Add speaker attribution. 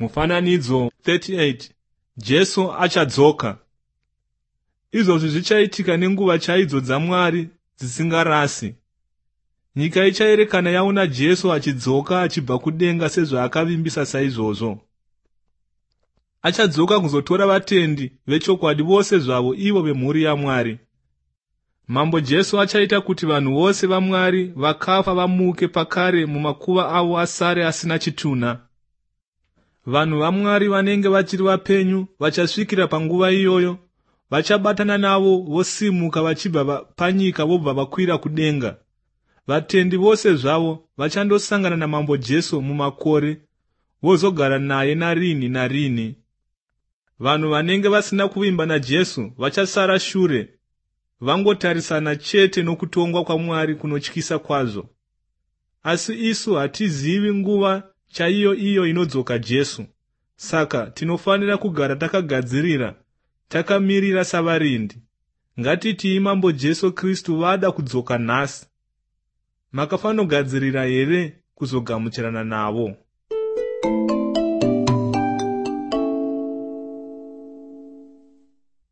Speaker 1: Mufananidzo 38. Jesu achadzoka. Izvozvi zvichaitika nenguva chaidzo dzaMwari dzisingarasi. Nyika ichaerekana yaona Jesu achidzoka achibva kudenga sezvaakavimbisa saizvozvo. Achadzoka kuzotora vatendi vechokwadi vose zvavo, ivo vemhuri yaMwari. Mambo Jesu achaita kuti vanhu vose vaMwari vakafa vamuke pakare mumakuva avo asare asina chitunha. Vanhu vaMwari vanenge vachiri vapenyu vachasvikira panguva iyoyo vachabatana navo vosimuka vachibva panyika vobva vakwira kudenga. Vatendi vose zvavo vachandosangana naMambo Jesu mumakore, vozogara naye narini narini. Vanhu vanenge vasina kuvimba naJesu vachasara shure, vangotarisana chete nokutongwa kwaMwari kunotyisa kwazvo. Asi isu hatizivi nguva chaiyo iyo inodzoka Jesu. Saka tinofanira kugara takagadzirira, takamirira savarindi. Ngatitii Mambo Jesu Kristu vada kudzoka nhasi. Makafanogadzirira here kuzogamuchirana navo?